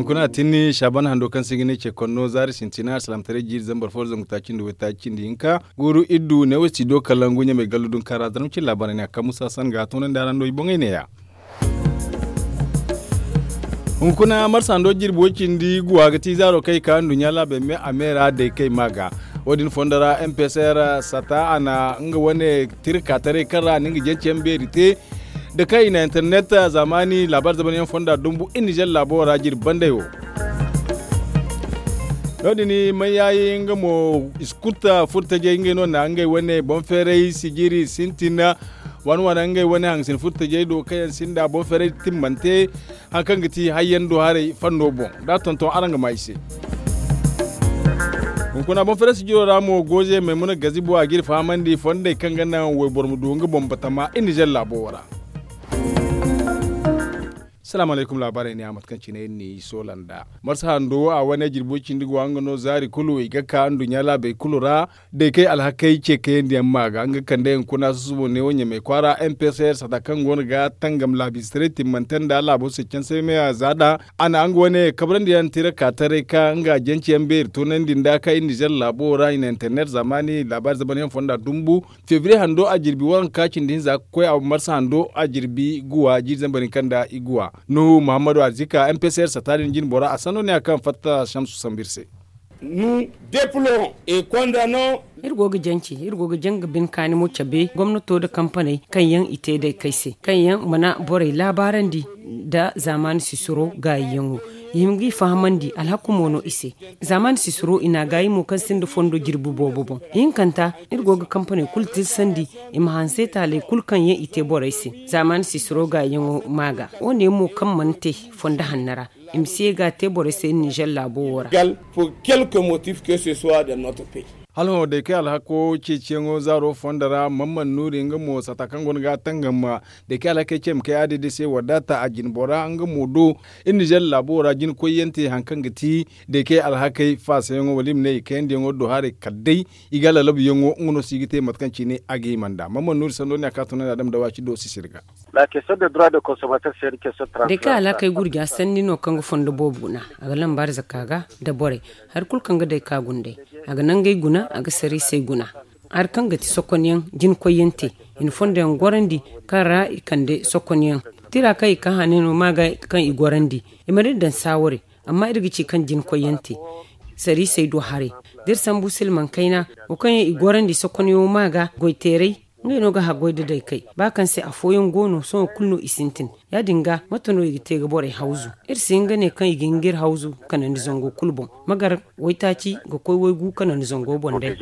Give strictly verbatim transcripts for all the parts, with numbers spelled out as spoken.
Kuna tini shaban hando kaŋ se ga ne ce konno zaari sintina alsalamtaray jiiri zambar fo zangu taaci nda waytaaci cindi hinka guuru iddu ne wo studio kalangu ɲamay gallu dunka ra zarma cin laabaarey ne a kaŋ musa san ga toonandi araŋ do i boŋey neeya. Hunkuna marsa hando jirbi way cindi guwa ga ti zaaro kaŋ i ka nduɲɲa laabey me a me ra day kay ma ga. Wo-din fondo ra mpsr sata a na nga wane tira kaataray kaŋ ra a na nga jance yaŋ beeri te da kaŋ i na internet zaamaani laabaari zamanyaŋ fonda dumbu iri nizer laabo ra jirbi banday wo. No- din mayyaayi nga mo iskuta furtajey ngey no na ngey wane boŋ feeray sijiri sintin waana waana ngey wane hangasin furtajey do kaŋ yaŋ sinda boŋ feeray timmante hari kaŋ ga ti hayyaŋ do haray fanno boŋ da a tonton araŋ ga ma i se. Hunkuna boŋ feeray sijiro ra mo goze maymuna gazibo a ga iri fahamandi fondey kaŋ ga naŋ wayboro ma du nga boŋ batama iri nizer laabo wo ra. Salaamu alaykum laabaarey ne a mate kaŋ cine iri n'i soola nd'a marsa hando a wane jirbi way cindi go a nga no zaari kulu i ga ka nduɲɲa laabey kulu ra. Day kay alhakey ce kayandi yaŋ ma ga nga kande hunkuna susubo ne wo ɲamay kwaara mpsr sata kaŋ go no ga tangam laabistaray timmante nda laabo se canse me a za nd'a a na nga wane kabrandi yaŋ tira ka taray ka nga jance yaŋ beeri toonandi nda ka iri nizer laabo ra i na internet zaamaani laabaari zamanyaŋ fonda dumbu febriye hando a jirbi waranka cindi hinza ga koy a marsa hando a jirbi guwa jiiri zambar hinka nda iguwa nuhu muhammadu arzika mpsr sata din jine bora a sanno ne a kaŋ fatta shamsu sambu iri se. Iri go ga jance iri go ga janga bine kaani mo cabe gomnato nda kampaney kaŋ yaŋ i te day kay se kaŋ yaŋ mana borey laabaarandi nda zaamaani sisiro gaayiyaŋo i hima ga i fahamandi alhaku mo no i se. Zaamaani sisiro i na a gaayi mo kaŋ sinda fondo jirbi boobo boŋ ihinkanta iri go ga kampaney kulu tirsandi i ma hanse taaley kulu kaŋ yaŋ i te borey se. Zaamaani sisiro gaayiyaŋo ma ga wo- ne mo kaŋ mana te fondo hanno ra i ma si ye ga a te borey se iri nizer laabo wo ra. Hala hõ day kay alhako ceeciyaŋo zaaro fondo ra mamman nuuri nga mo sata kaŋ go no ga a tangam day kay alhakey ce ma kay a day day se waddaata a jine bora nga mo do iri nizer laabo wo ra jina koyyaŋ te hari kaŋ ga ti day kay alhakey faasayaŋo wala i ma ne i kayandiyaŋo do haray kala day i ga lalabuyaŋo nga no se i ga te mate kaŋ cine a ga hima nd'a mamman nuuri sanno ne a ka tunandi a dama da waaci do sisiri ga. Day kaŋ a laakay gurja sanni no kaŋ ga fondo boobo guna a ga lambaari zaka ga nda borey hari kulu kaŋ ga day ka guna day a ga nangey guna a ga sariisey guna hari kaŋ ga ti sokonyaŋ jina koyyaŋ te i na fondo yaŋ gorandi kaŋ ra i kande sokonyaŋ tira kaŋ i ka hane no ma ga kaŋ i gorandi i mana iri daŋ saaware amma iri ga ci kaŋ jina koyyaŋ te sariisey do haray da iri sambu silmaŋ kayna wo kaŋ yaŋ i gorandi sokonyaŋo ma ga goyteeray ngey no ga haggoy da day kay ba kaŋ se afooyaŋ go no sohõ kulu no i sintin ya- din ga mate no i ga te ga borey hawzu iri si hin ga ne kaŋ i ga hin ga iri hawzu kanandi zango kulu boŋ magar waytaaci ga koy waygu kanandi zango boŋ day.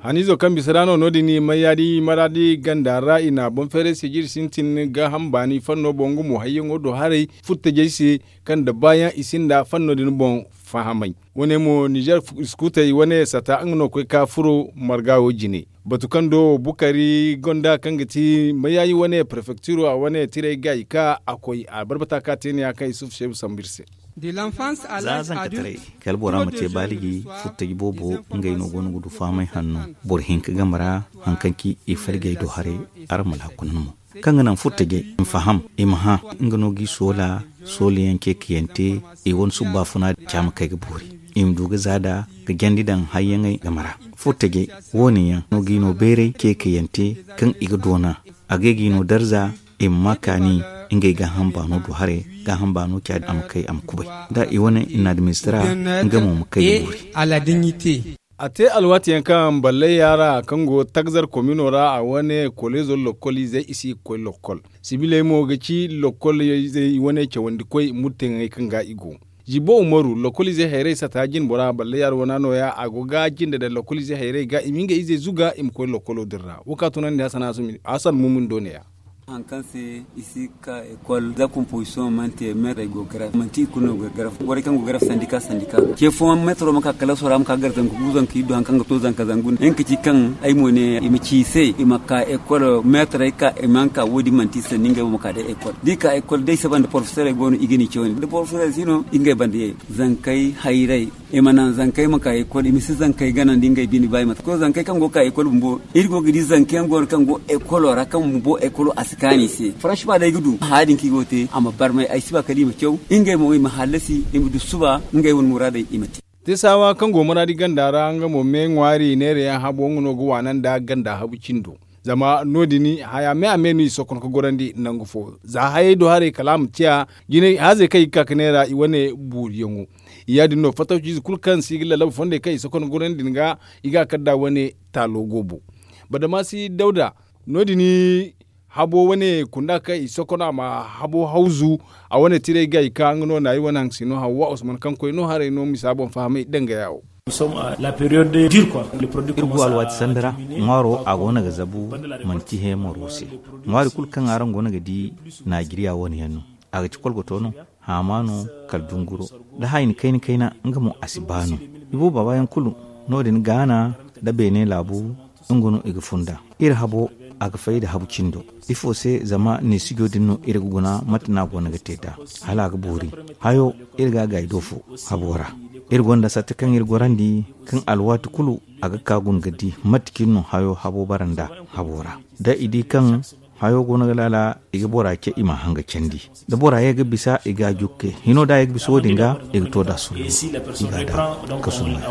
Haniizo kaŋ bisa ra no no- din mayyaadi maraadi ganda ra i na boŋ feeray sijiri sintin gaaham baani fanno boŋ nga mo hayyaŋo do haray furtajey se kaŋ da baayaŋ i sinda fanno din boŋ fahamay. Wo- ne mo nizer iskutey wane sata nga no koy ka furo marga wo jine batu kaŋ do bukari gonda kaŋ ga ti mayaayi wane prefektiro a wane tiray ga i ka a koy a barbata ka te ne ya kaŋ isufu seebu sambu iri se. Za zankataray kala bora ma te baaliji furtaji boobo ngey no go no ga du fahamay hanno boro hinka game ra hari kaŋ ci i falgey do haray araŋ ma laakuna no mo kaŋ ga naŋ furtajey i ma faham i ma hã nga no ga i soola soolayaŋ ceekayante i wane subbafuna ca ma kay ga boori i ma du ga za da ga jandi daŋ hayyaŋey game ra furtajey wo- ne yaŋ no ga i no bayray ceekayante kaŋ i ga doona a ga ay ga i no darza i ma ma kaani ngey gaaham baano do haray gaaham baano ca a ma kay a ma kubay da i wane i na administra nga mo ma kay ga boori. A te alwaati yaŋ kaŋ ballay yaara kaŋ go tagzar komino ra a wane koleezo lokkol izey i si ga koy lokkol sibiley mo ga ci lokkol izey i wane cawandi koy murteyaŋey kaŋ ga i go. Zibo umaru lokkol izey hayrey sata jine bora ballay yaara wana nooya a go ga jinde daŋ lokkol izey hayrey ga i ma ngey izey zuga i ma koy lokkolo din ra wo ka tunandi hasan mumin do ne ya. Hari kaŋ se i si ga ka ekol za komposisiyoŋ mana te meetarey go ga garaf manti i kulu no go ga garaf borey kaŋ go ga garaf sandika sandika ce fooyaŋ meetaro ma ka kala sora ma ka gar zanka gu zanka iddu hari kaŋ ga to zanka zangu ne nga ka ci kaŋ ay mo ne i ma ci i se i ma ka ekol meetarey ka i ma ka wo- din manti i sanni ngey wo ma ka day ekol da i ka ekol day saba nda porofesorey go no i ga ni ce wane da porofesorey si no i ngey banda ye zankey hayrey i ma naŋ zankey ma ka ekol i ma si zankey ganandi ngey bine ba i ma to zankey kaŋ go ga ka ekol bumbo iri go ga di zanka yaŋ go no kaŋ go ekolo ra kaŋ bumbo ekolo a si Kaani se faransi ma day ga du haya din kaŋ i go ga te a ma barmay ay si ba kala i ma caw ngey mo i ma hallasi i ma du suba ngey wane muraadey i ma te. Teesawa kaŋ go maraadi ganda ra nga mo me ŋwaari neera yaŋ habo nga no ga waana nda ganda habu cindo. Zama no- din haya me a me no i sohõ ga gorandi nangu fo za hayey do haray kala a ma ciya jinay haazey kaŋ i ga ka ga neera i wane buuriyaŋo. Ya- din no fattawciize kulu kaŋ se i ga lallaba fondey kaŋ i sohõ ga gorandi din ga i ga a kar nd'a wane taalo goobo. Badamaasi dawda no- din habo wane kunda kaŋ i sohõ a ma habo hawzu a wane tiray ga i ka nga no naari wane haŋ si no hawwa usman kaŋ koy no haray no misa boŋ fahamay dangaya wo. Iri go alwaati sanda ra ŋwaaro a go no ga zabu manti he maro se. Ŋwaari kulu kaŋ araŋ go no ga di naajiriya wane yaŋ no a ga ci kolgoto no haama no kala dunguro da hayni kayna kayna nga mo a si ba no. Iboobo baabayaŋ kulu no- din gaana nda beene laabu nga no i ga funda. Iri habo a ga fay nda habu cindo. Ifo se zama neesijo din no iri ga guna mate no a go no ga te nd'a hala a ga boori. Hayo iri ga a gaayi do fo habo ra. Iri gonda sarte kaŋ iri gorandi kaŋ alwaati kulu a ga ka guna ga di mate cine no hayo habo bara nd'a habo ra. Da i di kaŋ hayo go no ga laala i ga bora ce i ma a hanga candi. Da bora ye ga bisa i ga a jukke hino da a ye ga bisa wo- din ga i ga to nd'a sulla i ga a daŋ kasu no ya.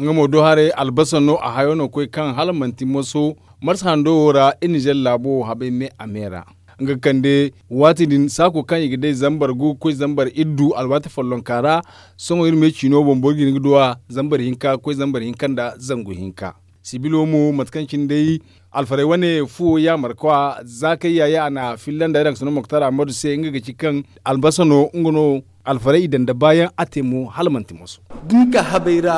Nga mo do haray albasa no a hayo no ga koy kaŋ hala manti moso marsa hando wo ra iri nizer laabo wo habay me a me ra. Nga ga kande waati din saako kaŋ i ga day zambar gu ga koy zambar iddu alwaati follonka ra. Sohõ iri me ciino boŋ boro ga hin ga du a zambar hinka ga koy zambar hinka nda zangu hinka. Sibilo mo mate kaŋ cine day alfarey wane fuwo yaamar kwa zaakay yaaye a na filla nda iraŋ ga sano moktara madu se nga ga ci kaŋ albasa no nga no alfarey i daŋ nda baayaŋ a te mo hala manti moso. Da ni ka habay ra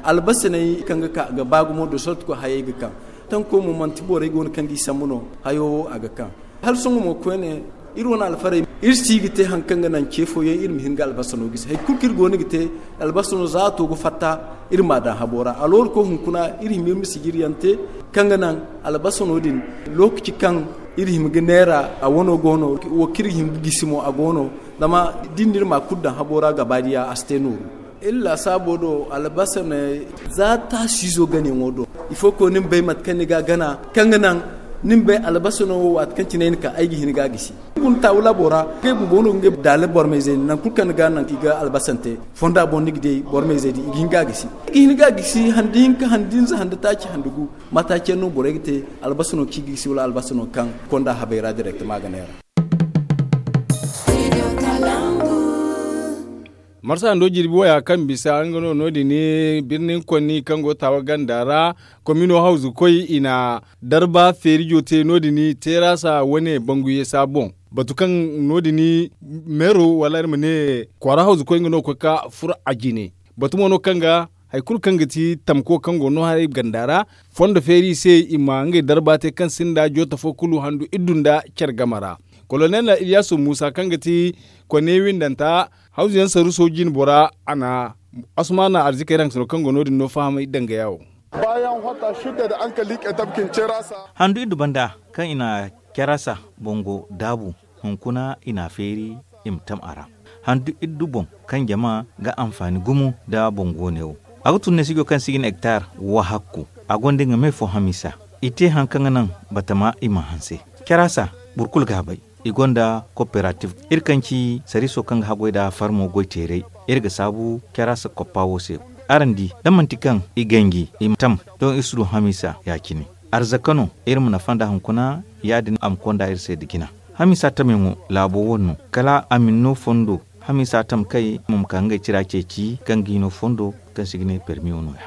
albasaney kaŋ ga ka ga ba gumo da sorti koy hayey ga kaŋ tanko mo manti borey go no kaŋ ga i sambu no hayo wo a ga kaŋ. Hala sohõ mo koyne iri wane alfarey iri si ga te hari kaŋ ga naŋ ce fooyaŋ iri ma hin ga albasano gisi hari kulu kaŋ iri go no ga te albasano za a to ga fatta iri m'a daŋ habo ra aloori koy hunkuna iri hima iri ma sijiriyaŋ te kaŋ ga naŋ albasano din lookaci kaŋ iri hima ga neera a wano go no wo kaŋ iri hima ga gisi mo a go no. Zama da ni na iri ma kulu daŋ habo ra gabaadiya a si te nooru. Iri laasaabo do albasa ne za taasiizo ganayaŋo do. Ifo ko ni ma bay mate kaŋ ni ga a gana kaŋ ga naŋ ni ma bay albasa no wo waati kaŋ cine ay na ka ay ga hin ga a gisi. Ni guna taawu laabo ra ngey bumbo no ga ngey daala bormayzey nangu kulu kaŋ ni ga a naŋ i ga albasante fonda boŋ ni ga di bormayzey din i ga hin ga a gisi. I ga hin ga a gisi handi hinka handi hinza handi taaci handi gu. Mataaci yaŋ no borey ga te albasa no kaŋ i ga gisi wala albasa no kaŋ konda habay ra direktama a ga neera. Marsa hando jirbi waya kaŋ bisa nga no no- din birnin konni kaŋ go taawa ganda ra komino hawzu koy i na darba feerijo te no- din terasa wane banguye saboŋ batu kaŋ no- din meero wala iri ma ne kwaara hawzu koy nga no ga koy ga furo a jine. Batu mo no kaŋ ga hari kulu kaŋ ga ti tamko kaŋ go no haray ganda ra fondo feeri i se i ma ngey darba te kaŋ sinda joota fo kulu handu iddu nda care game ra. Kolonel iliyasu muusa kaŋ ga ti kone windanta hawzu yaŋ saruso jine bora a na asumana arzikey ra haŋ sino kaŋ go no- din no fahamay dangaya wo. Handu iddu banda kaŋ i na carasa bango daabu hunkuna i na a feeri i ma tam a ra. Handu iddu boŋ kaŋ jama ga anfaani gumo nda boŋ goone wo. A ga tun neesijo kaŋ se i ga ne hektar wahakku a gonda nga me fo hamisa. I te hari kaŋ ga naŋ batama i ma hanse carasa boro kulu ga a bay. I gonda koperatif iri kaŋ ci sariiso kaŋ ga haggoy nda farmo goyteeray. Iri ga saabu carasa koppa wo se. Araŋ di da manti kaŋ i ganji i ma tam doŋ iri si du hamisa ya- cine. Arzaka no iri ma nafa nda hunkuna ya- din a ma konda iri se nda jina. Hamisa tamyaŋo laabo wane no kala a ma ni no fondo. Hamisa tam kay mo ma ka ngey tira ceeci kaŋ ga i no fondo kaŋ se i ga ne permi wo no- ya.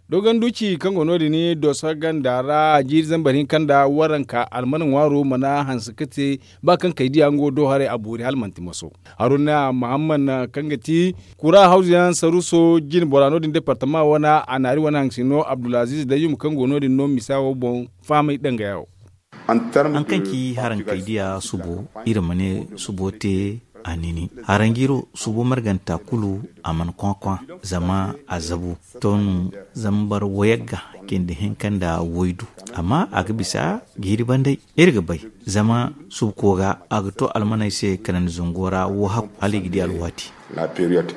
Dogon duci kaŋ go no- din doso ganda ra jiiri zambar hinka nda waranka almana ŋwaaro mana hanse ga te ba kaŋ kay diya nga wo do haray a boori hala manti maso. Haruna muhammad kaŋ ga ti kura hawzu yaŋ saruso jine bora no- din departama wane a naari wane haŋ si no abdulaziz dayyum kaŋ go no- din no misa wo boŋ fahamay dangaya wo. Hari kaŋ ci harankey diya subo iri ma ne subo te a nini haranjiro subo marganta kulu a mana kwakwa zama a zabu to no zambar wayagga cindi hinka nda waydu. Amma a ga bisa jiiri banday iri ga bay zama subko ga a ga to almaney se kanandi zango ra wo hakku hala i ga di alwaati. La période.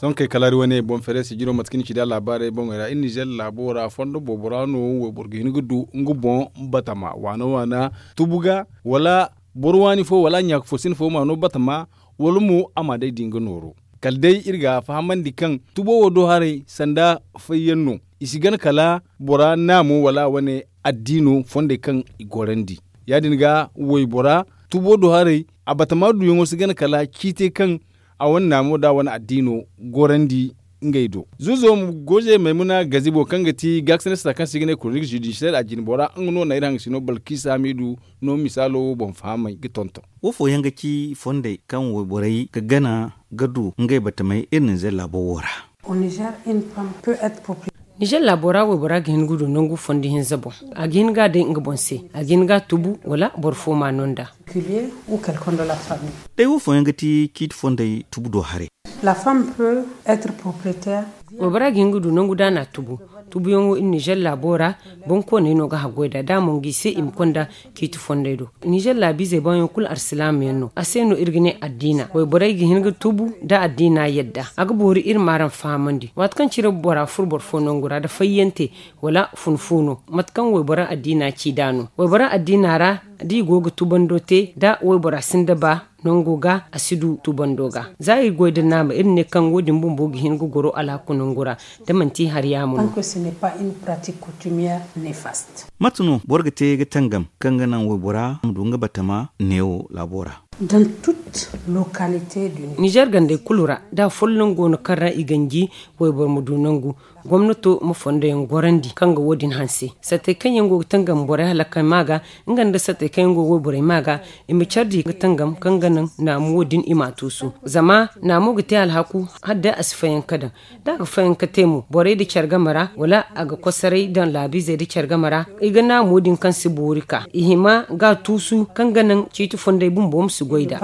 Sohõ kay kalaari wane boŋ feere sijiro mate kaŋ ni ci nd'a laabaarey boŋey ra iri nizeer laabo ra fondo boobo ra no wayboro ga hin ga du nga boŋ batama waana waana tubu ga wala boro waani fo wala ɲaaka fo sine fo ma no batama wala mo a ma day da nga nooro. Kala day iri ga fahamandi kaŋ tubo wo do haray sanda fayyaŋ no. I si gana kala bora naamo wala wane addiino fondey kaŋ i gorandi. Ya- din ga waybora tubo do haray a batama duyaŋo si gana kala ciitey kaŋ a wane naamo da a wane addiino gorandi ngey do. Zuuzo ma goze maymuna gazibo kaŋ ga ti gaakasina sita kaŋ se i ga ne koronik zudisiyel a jinbora nga no na iri haŋgasino balkisa hamiidu no misaalo wo boŋ fahamay ga tonton. Wo fooyaŋ ga ci fondey kaŋ wayborey ga gana ga du ngey batamey iri ninzeer laabo wo ra. Nizeer laabo ra waybora ga hin ga du nangu fondo hinza boŋ. A ga hin ga a day nga boŋ se a ga hin ga a tubu wala boro fo ma no nd'a. Day wo fooyaŋ ga ti ciiti fondey tubu do haray. Waybora ga hin ga du nangu da a na a tubu. Tubuyaŋo iri nizeer laabo ra boŋkooney no ga haggoy nd'a da a mongu i se i ma konda ciiti fondey do. Nizeer laabiizey baayaŋ kulu alsilaama yaŋ no a se no iri ga ne addiina wayborey ga hin ga tubu da addiina yadda a ga boori iri ma araŋ fahamandi waati kaŋ cire bora furo boro fo nangu ra nda fayyante wala funfuuno mate kaŋ waybora addiina ci nd'a no waybora addiina ra da i go ga tubando te da waybora sinda ba nango ga a si du tubando ga za iri goy nda naama iri ne kaŋ wo- din bumbo ga hin ga goro alhaku nangu ra da manti hari yaamo no. Mate no boro ga te ga tangam kaŋ ga naŋ waybora ma du nga batama neewo laabo ra? Nizeer gandey kulu ra da folloŋ go no kaŋ ra i ganji wayboro ma du nangu gomnato ma fondo yaŋ gorandi kaŋ ga wo- din hanse sattey kaŋ yaŋ go ga tangam borey halakey ma ga nga nda sattey kaŋ yaŋ go ga wayborey ma ga i ma care di ga tangam kaŋ ga naŋ naamu wo- din i m'a tuusu zama naamu ga te alhaku hala day a si fayanka daŋ da a ga fayanka te mo borey nda care game ra wala a ga kosoray daŋ laabiizey nda care game ra i ga naamu din kaŋ si boori ka i hima ga a tuusu kaŋ ga naŋ ciiti fondey bumbo ma si goy nd'a.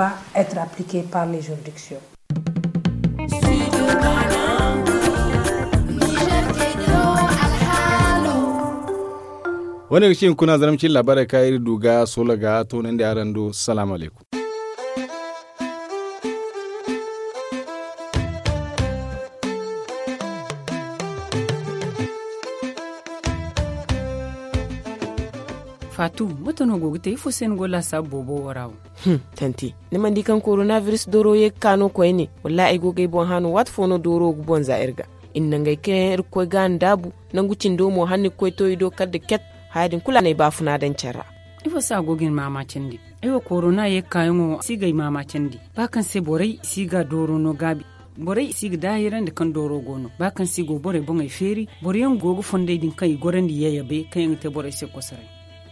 Wane ga ci hunkuna zarma cine laabaarey kaŋ iri du ga soola ga toonandi araŋ do salaamu alaykum. Faatu, mate no go ga te ifo se ni go laasaabu boobo wo ra wo? Tanti, ni mana di kaŋ korona biris dooro ye ga ka no koyne? Wallaahi ay go ga ay boŋ hã no waati fo no dooro ga boŋ za iri ga. Iri na ngey kaŋ yaŋ iri ga koy ga a ndaabu nangu cindo mo hala ni ga koy to i do kala nda ket. Haya din kulu a na ay baafuna daŋ care ra. Ifo se a go ga ni maamaacandi? Ay wo korona ye ga kaayaŋo si ga ay maamaacandi ba kaŋ se borey si ga dooro no gaabi. Borey si ga daahirandi kaŋ dooro go no ba kaŋ se i go borey boŋey feeri boro yaŋ go ga fondey din kaŋ i gorandi yayabe kaŋ yaŋ ga te borey se kosoray.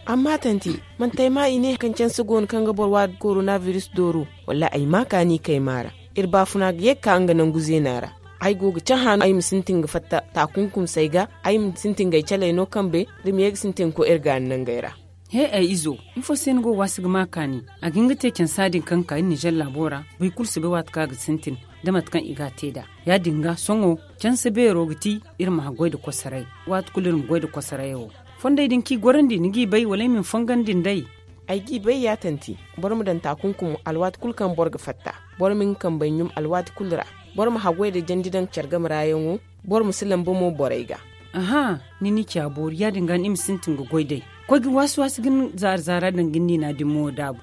Amma tanti, manti ay ma i ne kaŋ canse go no kaŋ ga boro waadi korona biris dooro? Wallaahi ay ma kaani kay maara. Iri baafuna ga ye ga ka nga nangu zeena ra. Ay go ga cahã no ay ma sintin ga fatta taakunkumsey ga. Ay ma sintin ga ay caley no kambe. Da ma ye ga sintin ga koy iri gaani nangey ra. He ay izo, ifo se ni go waasi ga ma kaani? A ga hin ga te cansa din kaŋ ga ka iri nizer laabo ra. Boro kulu si bay waati kaŋ a ga sintin da mate kaŋ i ga a te nd'a. Ya- din ga sohõ canse beero ga ti iri ma haggoy nda kosoray. Waati kulu iri ma goy nda kosorayo. Fondey din kaŋ i gorandi ni g'i bay wala ay ma ni fongandi nd'ey? Ay g'i bay ya tanti. Boro ma daŋ taakunkumo alwaati kulu kaŋ boro ga fatta. Boro ma nga kambey ɲum alwaati kulu ra. Boro ma haggoy nda jandi daŋ care game ra yaŋo. Boro ma si lamba mo borey ga. Aha, ni n'i ci a boori ya- din ga ni ma sintin ga goy day. Koy ga waasi waasi ga ni zaara zaara daŋ ga ni niina din mo daabu.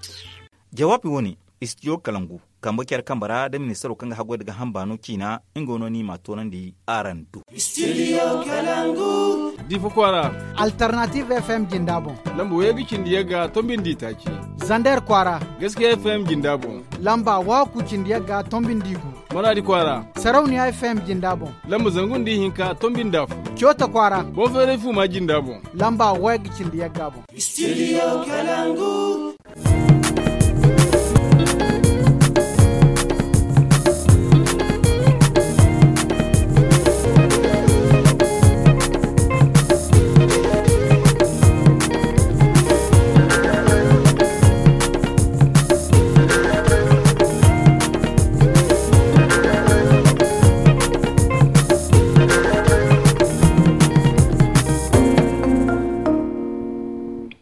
Jawaabi wo- ne, istidiyo kalangu kambe care kambe ra nda ministaro kaŋ ga haggoy nda gaaham baano ciina. Nga no ni m'a toonandi araŋ do. Difa kwaara, alternative f m jinda boŋ. Lamba wayye ga cindi yagga tombindi taaci. Zander kwaara, gaskiya f m jinda boŋ. Lamba wahakku cindi yagga tombindi gu. Maraadi kwaara, sarauniya f m jinda boŋ. Lamba zangu nda ihinka tombindi afo. Coota kwaara, boŋ feeray fuuma jinda boŋ. Lamba wayye ga cindi yagga boŋ. Studio Kalangu.